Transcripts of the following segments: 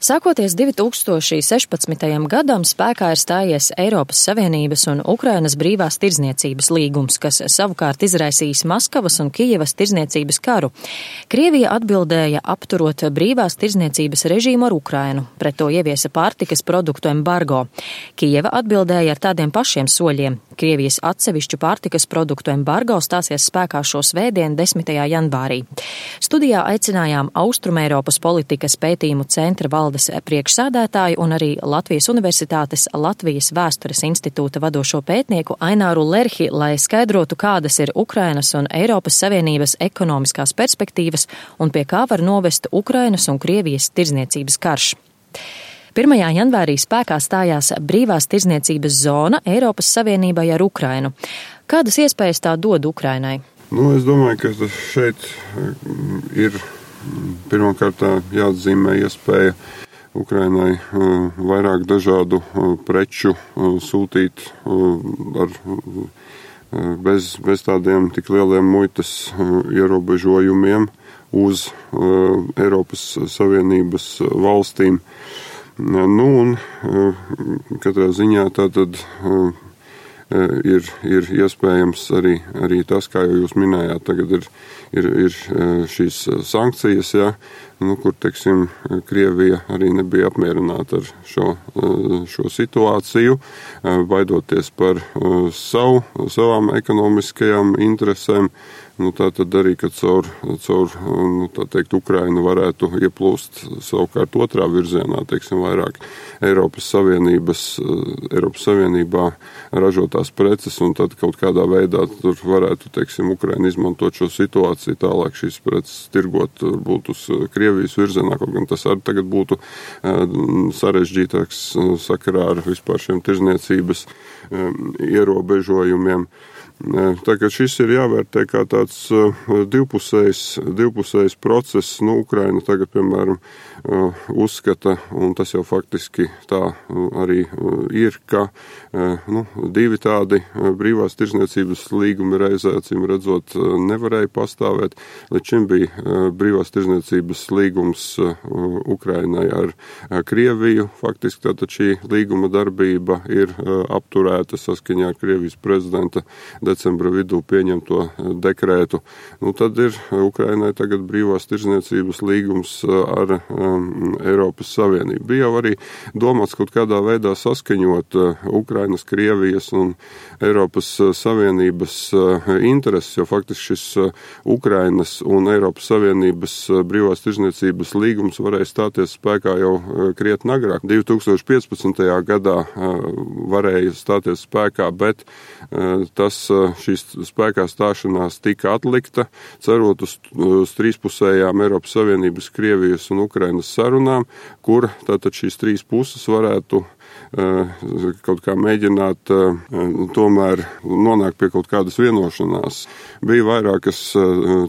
Sākoties 2016. gadam spēkā ir stājies Eiropas Savienības un Ukrainas brīvās tirdzniecības līgums, kas savukārt izraisījis Maskavas un Kijevas tirdzniecības karu. Krievija atbildēja apturot brīvās tirdzniecības režīmu ar Ukrainu, pret to ieviesa pārtikas produktu embargo. Kijeva atbildēja ar tādiem pašiem soļiem. Krievijas atsevišķu pārtikas produktu embargo stāsies spēkā šo svētdienu 10. janvārī. Studijā aicinājām Austrumeiropas politikas pētījumu centra valdes priekšsādātāju un arī Latvijas Universitātes Latvijas Vēstures institūta vadošo pētnieku Aināru Lerhi, lai skaidrotu, kādas ir Ukrainas un Eiropas Savienības ekonomiskās perspektīvas un pie kā var novest Ukrainas un Krievijas tirdzniecības karš. 1. janvārī spēkā stājās brīvās tirdzniecības zona Eiropas Savienībai ar Ukrainu. Kādas iespējas tā dod Ukrainai? Es domāju, ka šeit ir pirmkārt jāatzīmē iespēja Ukrainai vairāk dažādu preču sūtīt bez tādiem tik lieliem muitas ierobežojumiem uz Eiropas Savienības valstīm. Un katrā ziņā tātad ir iespējams arī tas, kā jau jūs minējāt, tagad ir šīs sankcijas, kur, teiksim, Krievija arī nebija apmierināta ar šo situāciju, baidoties par savām ekonomiskajām interesēm. Tātad arī, ka caur Ukrainu varētu ieplūst savukārt otrā virzienā, teiksim, vairāk Eiropas Savienībā ražotās preces, un tad kaut kādā veidā tur varētu, teiksim, Ukraina izmantot šo situāciju, tālāk šīs preces tirgot varbūt uz Krievijas virzienā, kaut gan tas arī tagad būtu sarežģītāks sakarā ar vispār šiem tirdzniecības ierobežojumiem. Tā kā šis ir jāvērtē kā tāds divpusējs process, Ukraina tagad, piemēram, uzskata, un tas jau faktiski tā arī ir, ka divi tādi brīvās tirdzniecības līgumi reizē, acīm redzot, nevarēja pastāvēt. Līdz šim bija brīvās tirdzniecības līgums Ukrainai ar Krieviju. Faktiski tātad šī līguma darbība ir apturēta saskaņā ar Krievijas prezidenta decembra vidū pieņemto dekrētu. Tad ir Ukrainai tagad brīvās tirdzniecības līgums ar Eiropas Savienību. Bija jau arī domāts kaut kādā veidā saskaņot Ukrainas, Krievijas un Eiropas Savienības intereses, jo faktiski šis Ukrainas un Eiropas Savienības brīvās tirdzniecības līgums varēja stāties spēkā jau krietni agrāk. 2015. gadā varēja stāties spēkā, bet šīs spēkā stāšanās tika atlikta, cerot uz trīspusējām Eiropas Savienības, Krievijas un Ukrainas sarunām, kur tātad šīs trīs puses varētu kaut kā mēģināt tomēr nonākt pie kaut kādas vienošanās. Bija vairākas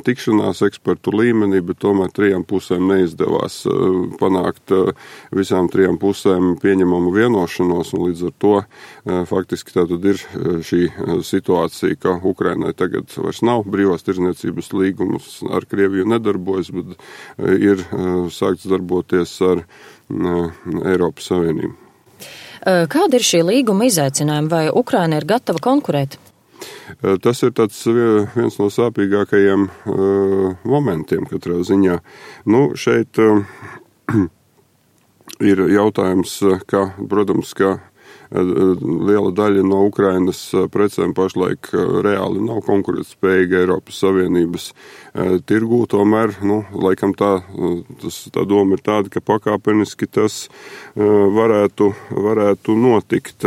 tikšanās ekspertu līmenī, bet tomēr trijām pusēm neizdevās panākt visām trijām pusēm pieņemamu vienošanos, un līdz ar to faktiski tātad ir šī situācija, ka Ukrainai tagad vairs nav brīvās tirdzniecības līgumus, ar Krieviju nedarbojas, bet ir sākts darboties ar Eiropas Savienību. Kāda ir šī līguma izaicinājuma, vai Ukraina ir gatava konkurēt? Tas ir viens no sāpīgākajiem momentiem katrā ziņā. Šeit ir jautājums, ka, protams, ka liela daļa no Ukrainas precēm pašlaik reāli nav konkurētspējīga Eiropas Savienības tirgū, tomēr, laikam tā doma ir tāda, ka pakāpeniski tas varētu notikt,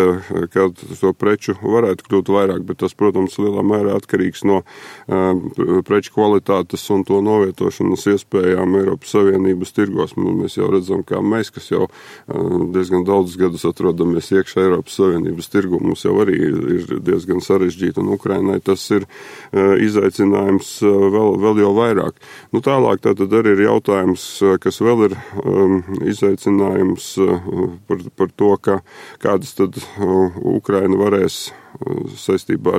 kad to preču varētu kļūt vairāk, bet tas, protams, lielā mērā atkarīgs no preču kvalitātes un to novietošanas iespējām Eiropas Savienības tirgos. Mēs jau redzam, kā mēs, kas jau diezgan daudzus gadus atrodamies iekšā Eiropas Savienības tirgu, mums jau arī ir diezgan sarežģīti, un Ukrainai tas ir izaicinājums vēl jau vairāk. Tālāk tātad arī ir jautājums, kas vēl ir izaicinājums par to, kādas tad Ukraina varēs saistībā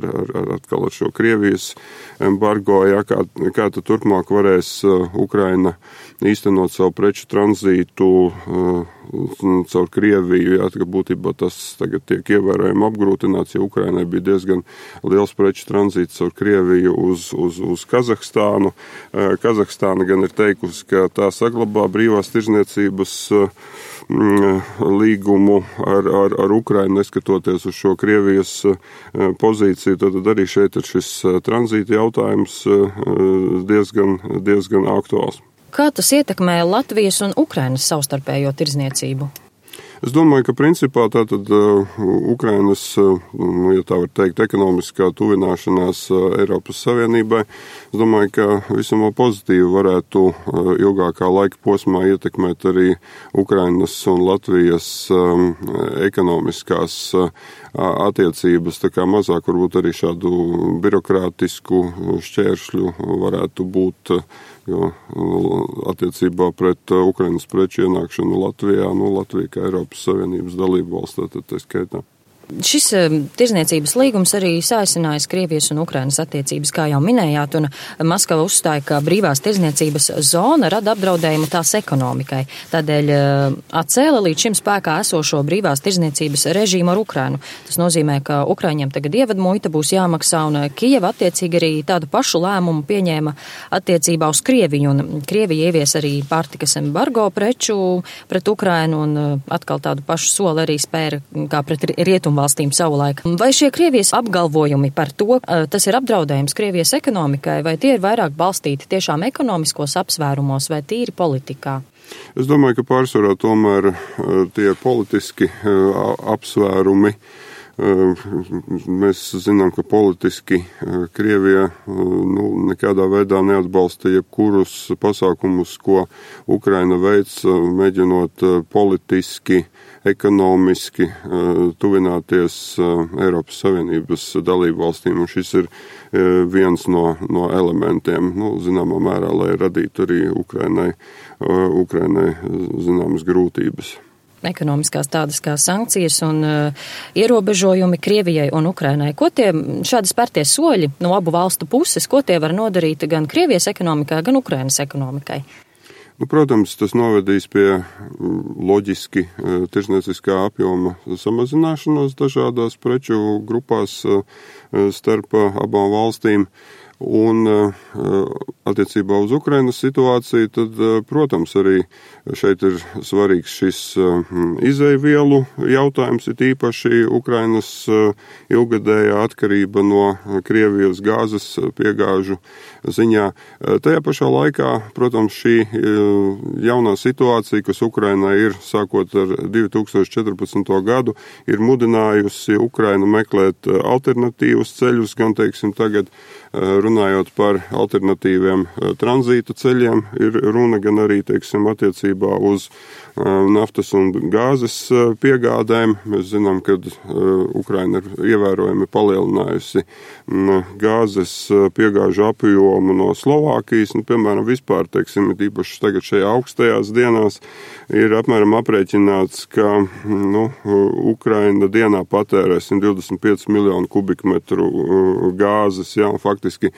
atkal ar šo Krievijas embargo, kā tad turpmāk varēs Ukraina īstenot savu preču tranzītu caur Krieviju, jā, ka būtībā tas tagad tiek ievērojami apgrūtināts, jo Ukrainai bija diezgan liels preču tranzīts caur Krieviju uz Kazahstānu. Kazahstāna gan ir teikusi, ka tā saglabā brīvās tirzniecības līgumu ar Ukrainu, neskatoties uz šo Krievijas pozīciju, tad arī šeit ir šis tranzīta jautājums diezgan aktuāls. Kā tas ietekmē Latvijas un Ukrainas savstarpējo tirzniecību? Es domāju, ka principā tātad Ukrainas, ja tā var teikt, ekonomiskā tuvināšanās Eiropas Savienībai, es domāju, ka visam pozitīvi varētu ilgākā laika posmā ietekmēt arī Ukrainas un Latvijas ekonomiskās attiecības, tā kā mazāk varbūt arī šādu birokrātisku šķēršļu varētu būt, jo attiecībā pret Ukrainas preču ienākšanu Latvijā, Latvija kā Eiropas Savienības dalību valsts, tad tā skaitā. Šis tirzniecības līgums arī sāsinājis Krievijas un Ukrainas attiecības, kā jau minējāt, un Maskava uzstāja, ka brīvās tirzniecības zona rada apdraudējumu tās ekonomikai. Tādēļ atcēla līdz šim spēkā esošo brīvās tirzniecības režīmu ar Ukrainu. Tas nozīmē, ka Ukraiņiem tagad ievadmuita būs jāmaksā, un Kijeva attiecīgi arī tādu pašu lēmumu pieņēma attiecībā uz Krieviju, un Krievija ievies arī pārtikas embargo preču pret Ukrainu, un atkal tādu pašu soli arī spēra kā pret rietumu valstīm savulaik. Vai šie Krievijas apgalvojumi par to, tas ir apdraudējums Krievijas ekonomikai, vai tie ir vairāk balstīti tiešām ekonomiskos apsvērumos vai tīri politikā? Es domāju, ka pārsvarā tomēr tie politiski apsvērumi. Mēs zinām, ka politiski Krievija nekādā veidā neatbalsta jebkurus pasākumus, ko Ukraina veic, mēģinot politiski, ekonomiski tuvināties Eiropas Savienības dalību valstīm, un šis ir viens no elementiem, zināmā mērā, lai radītu arī Ukrainai zināmas grūtības. Ekonomiskās tādas kā sankcijas un ierobežojumi Krievijai un Ukrainai. Ko tie šādi spērtie soļi no abu valstu puses, ko tie var nodarīt gan Krievijas ekonomikai, gan Ukrainas ekonomikai? Protams, tas novedīs pie loģiski tirzniecīskā apjoma samazināšanos dažādās preču grupās starp abām valstīm. Un attiecībā uz Ukrainas situāciju, tad, protams, arī šeit ir svarīgs šis izejvielu jautājums, ir īpaši Ukrainas ilgadējā atkarība no Krievijas gāzes piegāžu ziņā. Tajā pašā laikā, protams, šī jaunā situācija, kas Ukrainai ir sākot ar 2014. gadu, ir mudinājusi Ukrainu meklēt alternatīvus ceļus, gan, teiksim, tagad runājot par alternatīviem tranzīta ceļiem, ir runa gan arī, teiksim, attiecībā uz naftas un gāzes piegādēm. Mēs zinām, ka Ukraina ir ievērojami palielinājusi gāzes piegāžu apjomu no Slovākijas, piemēram, vispār, teiksim, īpaši tagad šajā augstajās dienās ir apmēram aprēķināts, ka Ukraina dienā patērē 125 miljonu kubikmetru gāzes, jā, un faktiski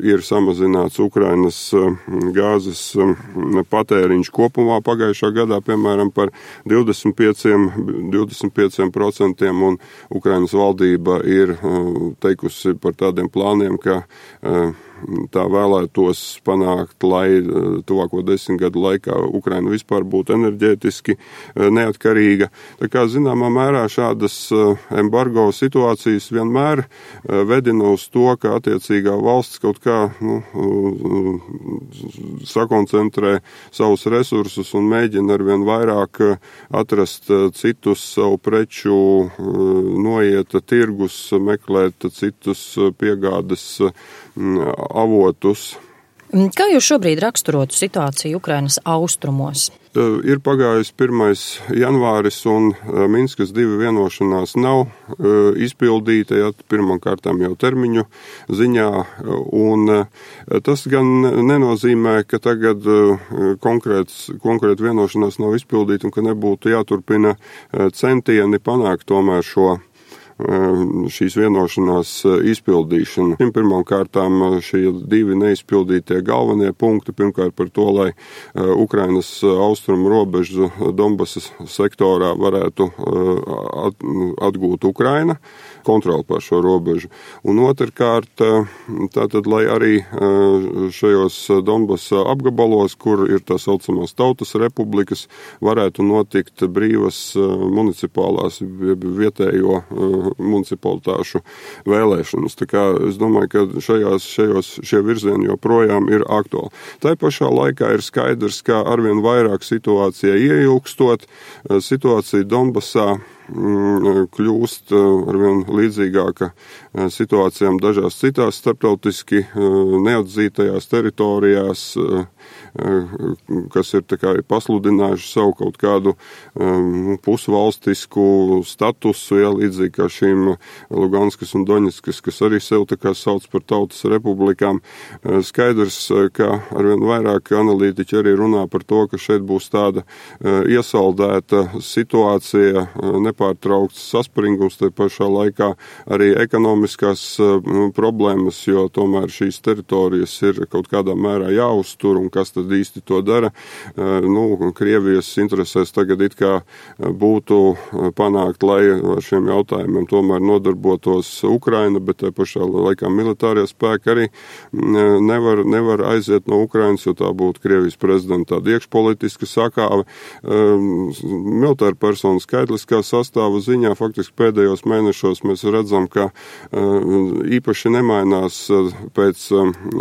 ir samazināts Ukrainas gāzes patēriņš kopumā pagājušā gadā, piemēram, par 25%, un Ukrainas valdība ir teikusi par tādiem plāniem, ka tā vēlētos panākt, lai tuvāko 10 gadu laikā Ukraina vispār būtu enerģētiski neatkarīga. Tā kā zināmā mērā šādas embargo situācijas vienmēr vedina uz to, ka attiecīgā valsts kaut kā sakoncentrē savus resursus un mēģina arvien vairāk atrast citus savu preču noieta tirgus, meklēt citus piegādes avotus. Kā jūs šobrīd raksturotu situāciju Ukrainas austrumos? Ir pagājis 1. janvāris un Minskas 2 vienošanās nav izpildīta, ja pirmkārtām jau termiņu ziņā, un tas gan nenozīmē, ka tagad konkrēta vienošanās nav izpildīta un ka nebūtu jāturpina centieni panākt tomēr šo šīs vienošanās izpildīšana. Pirmām kārtām šie divi neizpildītie galvenie punkti, pirmkārt par to, lai Ukrainas austrumu robežu Donbasas sektorā varētu atgūt Ukraina, kontroli pār šo robežu. Un otrkārt, tātad, lai arī šajos Donbasa apgabalos, kur ir tā saucamās tautas republikas, varētu notikt brīvas municipālās, vietējo municipalitāšu vēlēšanas. Tā kā es domāju, ka šie virzieni joprojām ir aktuāli. Tā pašā laikā ir skaidrs, ka arvien vairāk situācija ieilgstot, situācija Donbasā kļūst arvien līdzīgāka situācijām dažās citās starptautiski neatzītajās teritorijās, kas ir tā kā pasludinājuši savu kaut kādu pusvalstisku statusu, līdzīgi kā šīm Luganskas un Doņetskas, kas arī sev tā kā sauc par tautas republikām. Skaidrs, ka arvien vairāk analītiķi arī runā par to, ka šeit būs tāda iesaldēta situācija, nepārtraukts saspringums, te pašā laikā arī ekonomiskās problēmas, jo tomēr šīs teritorijas ir kaut kādā mērā jāuztur, un kas tad īsti to dara. Krievijas interesēs tagad it kā būtu panākt, lai ar šiem jautājumiem tomēr nodarbotos Ukraina, bet te pašā laikā militārie spēki arī nevar aiziet no Ukrainas, jo tā būtu Krievijas prezidenta tāda iekšpolitiska sakāve. Militāra persona skaitliskā sastāva ziņā faktiski pēdējos mēnešos mēs redzam, ka īpaši nemainās pēc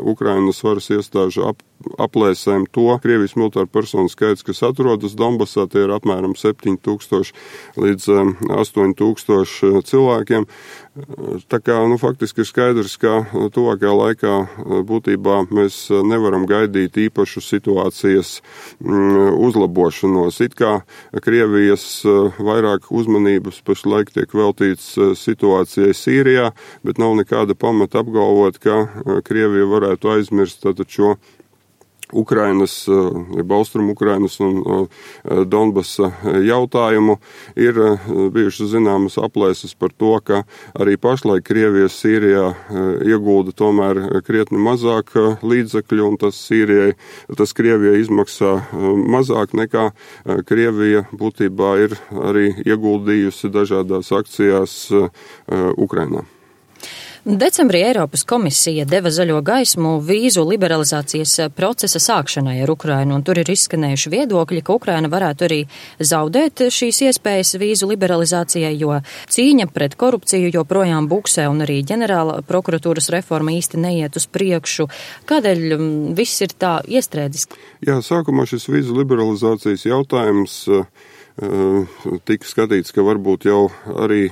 Ukrainas varas iestāžu aplēsēm to Krievijas militāru personu skaits, kas atrodas Donbasā, tie ir apmēram 7,000 līdz 8,000 cilvēkiem. Tā kā, faktiski ir skaidrs, ka tuvākajā laikā būtībā mēs nevaram gaidīt īpašu situācijas uzlabošanos. It kā Krievijas vairāk uzmanības pašlaik tiek veltīts situācijai Sīrijā, bet nav nekāda pamata apgalvot, ka Krievija varētu aizmirst tātad šo Ukrainas, Austrum Ukrainas un Donbasa jautājumu. Ir bijušas zināmas aplēses par to, ka arī pašlaik Krievija Sīrijā iegulda tomēr krietni mazāk līdzekļu, un tas Krievijai izmaksā mazāk nekā Krievija būtībā ir arī ieguldījusi dažādās akcijās Ukrainā. Decembrī Eiropas komisija deva zaļo gaismu vīzu liberalizācijas procesa sākšanai ar Ukrainu, un tur ir izskanējuši viedokļi, ka Ukraina varētu arī zaudēt šīs iespējas vīzu liberalizācijai, jo cīņa pret korupciju joprojām buksē, un arī ģenerāla prokuratūras reforma īsti neiet uz priekšu. Kādēļ viss ir tā iestrēdzis? Jā, sākumā šis vīzu liberalizācijas jautājums tika skatīts, ka varbūt jau arī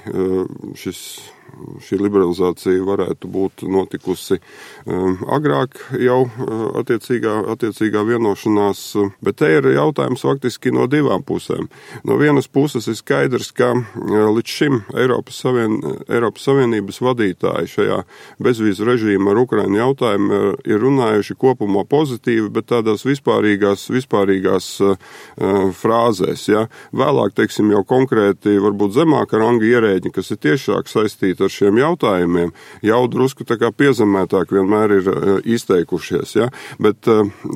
šī liberalizācija varētu būt notikusi agrāk jau attiecīgā vienošanās, bet te ir jautājums faktiski no divām pusēm. No vienas puses ir skaidrs, ka līdz šim Eiropas Savienības vadītāji šajā bezvīzu režīma ar Ukrainu jautājumu ir runājuši kopumā pozitīvi, bet tādās vispārīgās frāzēs. Ja? Vēlāk, teiksim, jau konkrēti varbūt zemāka ranga ierēģi, kas ir tiešāk saistīti ar šiem jautājumiem, jau drusku tā kā piezemētāk vienmēr ir izteikušies. Ja? Bet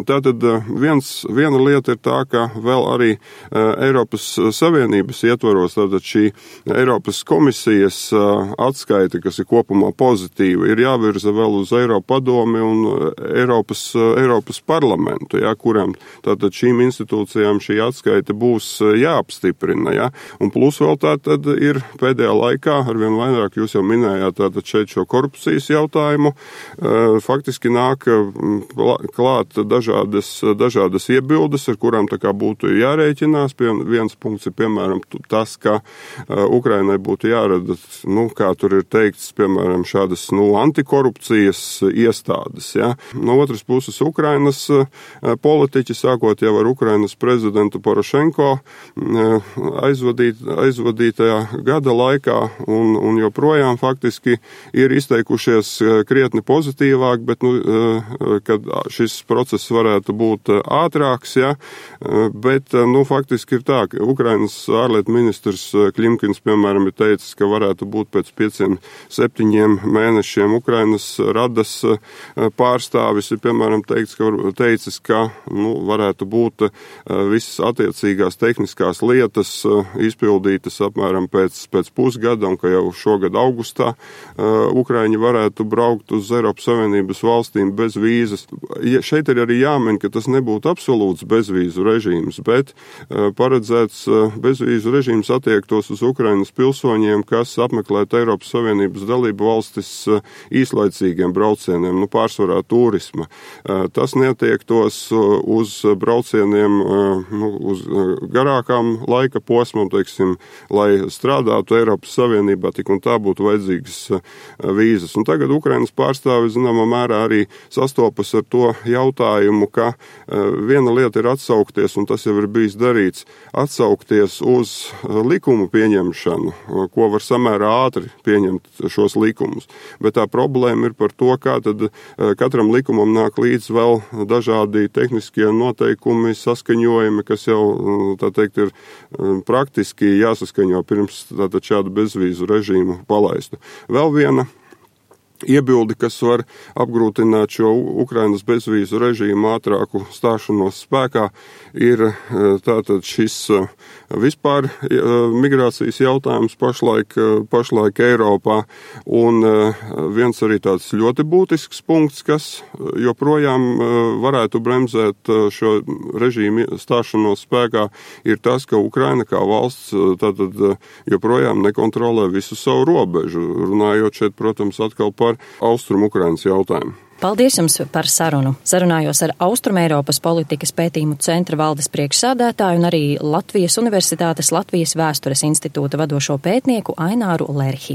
tātad viena lieta ir tā, ka vēl arī Eiropas Savienības ietvaros, tātad šī Eiropas komisijas atskaite, kas ir kopumā pozitīva, ir jāvirza vēl uz Eiropadomi un Eiropas parlamentu, ja? Kurām tātad šīm institūcijām šī atskaite būs jāapstiprina. Ja? Un plus vēl tātad ir pēdējā laikā arvien vairāk, jūs jau minējāt tātad šeit šo korupcijas jautājumu, faktiski nāk klāt dažādas iebildes, ar kurām tā kā būtu jārēķinās. Viens punkts ir, piemēram, tas, ka Ukrainai būtu jārada, kā tur ir teikts, piemēram, šādas, antikorupcijas iestādes. Ja? No otras puses, Ukrainas politiķi, sākot jau ar Ukrainas prezidentu Porošenko aizvadītajā gada laikā un joprojām joprojām faktiski ir izteikušies krietni pozitīvāk, bet, kad šis process varētu būt ātrāks, ja, bet, faktiski ir tā, ka Ukrainas ārlietu ministrs Klimkins, piemēram, ir teicis, ka varētu būt pēc 5-7 mēnešiem Ukrainas radas pārstāvis, ir, piemēram, teicis, ka, varētu būt visas attiecīgās tehniskās lietas izpildītas apmēram pēc pusgada, un ka jau šogad augustā Ukraiņi varētu braukt uz Eiropas Savienības valstīm bez vīzas. Šeit ir arī jāmin, ka tas nebūtu absolūts bezvīzu režīms, bet paredzēts bezvīzu režīms attiektos uz Ukrainas pilsoņiem, kas apmeklētu Eiropas Savienības dalību valstis īslaicīgiem braucieniem, pārsvarā turisma. Tas neatiektos uz braucieniem uz garākām laika posmam, teiksim, lai strādātu Eiropas Savienībā, tik un tā būtu vajadzīgas vīzas. Un tagad Ukrainas pārstāvi, zināmā mērā, arī sastopas ar to jautājumu, ka viena lieta ir atsaukties, un tas jau ir bijis darīts, atsaukties uz likumu pieņemšanu, ko var samērā ātri pieņemt šos likumus. Bet tā problēma ir par to, kā tad katram likumam nāk līdz vēl dažādi tehniskie noteikumi, saskaņojumi, kas jau, tā teikt, ir praktiski jāsaskaņo pirms tātad šādu bezvīzu režīmu palaistu. Vēl viena iebildi, kas var apgrūtināt šo Ukrainas bezvīzu režīmu ātrāku stāšanos spēkā, ir tātad šis vispār migrācijas jautājums pašlaik Eiropā, un viens arī tāds ļoti būtisks punkts, kas joprojām varētu bremzēt šo režīmu stāšanos spēkā, ir tas, ka Ukraina kā valsts tātad joprojām nekontrolē visu savu robežu, runājot šeit, protams, atkal par Austrumu Ukrainas jautājumu. Paldies jums par sarunu. Sarunājos ar Austrumeiropas politikas pētījumu centra valdes priekšsādātāju un arī Latvijas Universitātes Latvijas vēstures institūta vadošo pētnieku Aināru Lerhi.